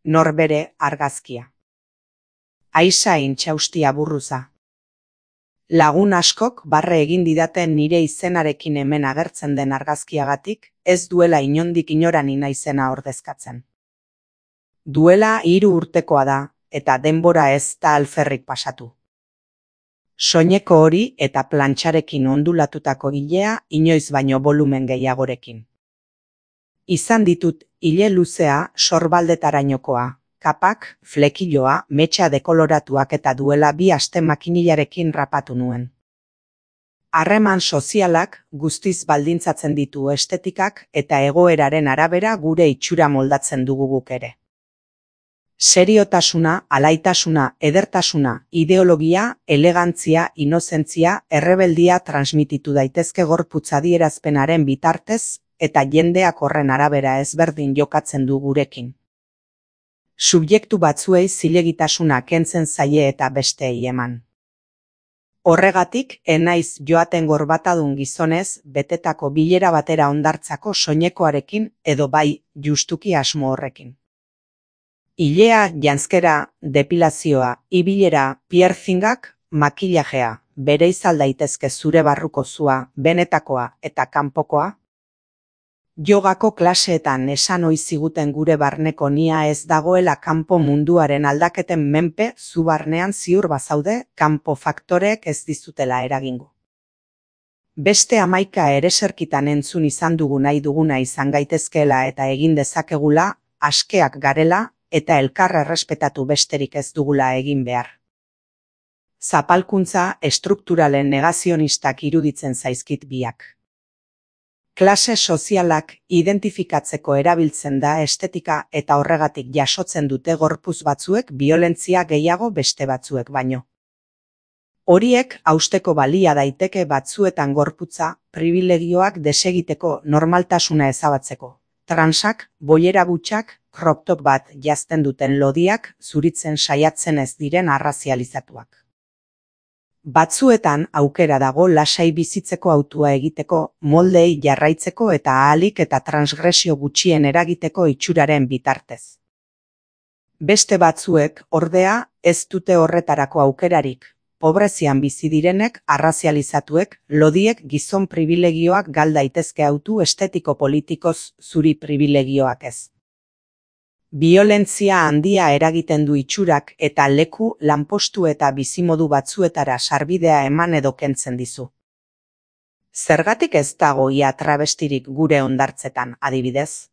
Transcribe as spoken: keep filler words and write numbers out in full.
norbere argazkia. Aisa intxaustia burruza. Lagun askok barre egin didaten nire izenarekin hemen agertzen den argazkiagatik, ez duela inondik inorani naizena ordezkatzen. Duela hiru urtekoa da, eta denbora ez da alferrik pasatu. Soineko hori eta plantxarekin ondulatutako ilea inoiz baino volumen gehiagorekin. Izan ditut ile luzea sorbaldetarainokoa, kapak, flekiloa, metxa dekoloratuak eta duela bi aste makinilarekin rapatu nuen. Harreman sozialak guztiz baldintzatzen ditu estetikak eta egoeraren arabera gure itxura moldatzen dugu guk ere. Seriotasuna, alaitasuna, edertasuna, ideologia, elegantzia, inozentzia, errebeldia transmititu daitezke gorputz adierazpenaren bitartez eta jendeak horren arabera ezberdin jokatzen du gurekin. Subjektu batzuei zilegitasuna kentzen zaie eta besteei eman. Horregatik, enaiz joaten gorbatadun gizonez betetako bilera batera ondartzako soinekoarekin edo bai justuki asmo horrekin. Ilea, janzkera, depilazioa, ibilera, piercingak, makillajea, bereizal daitezke zure barruko zua, benetakoa eta kanpokoa. Jogako klaseetan esan ohi ziguten gure barneko nia ez dagoela kanpo munduaren aldaketen menpe, zu barnean ziur bazaude, kanpo faktoreek ez dizutela eragingo. Beste hamaika ereserkitan entzun izan dugu nahi duguna izan gaitezkeela eta egin dezakegula, askeak garela, eta elkarra errespetatu besterik ez dugula egin behar. Zapalkuntza estrukturalen negazionistak iruditzen zaizkit biak. Klase sozialak identifikatzeko erabiltzen da estetika eta horregatik jasotzen dute gorputz batzuek biolentzia gehiago beste batzuek baino. Horiek hausteko balia daiteke batzuetan gorputza, pribilegioak desegiteko normaltasuna ezabatzeko. Transak, boiera butxak, crop top bat jazten duten lodiak zuritzen saiatzen ez diren arrazializatuak. Batzuetan aukera dago lasai bizitzeko hautua egiteko, moldei jarraitzeko eta ahalik eta transgresio gutxien eragiteko itxuraren bitartez. Beste batzuek, ordea, ez dute horretarako aukerarik. Pobrezian bizi direnek, arrazializatuek, lodiek gizon pribilegioak gal daitezke hautu estetiko politikoz zuri pribilegioak ez. Biolentzia handia eragiten du itxurak eta leku, lanpostu eta bizimodu batzuetara sarbidea eman edo kentzen dizu. Zergatik ez dago ia travestirik gure hondartzetan, adibidez?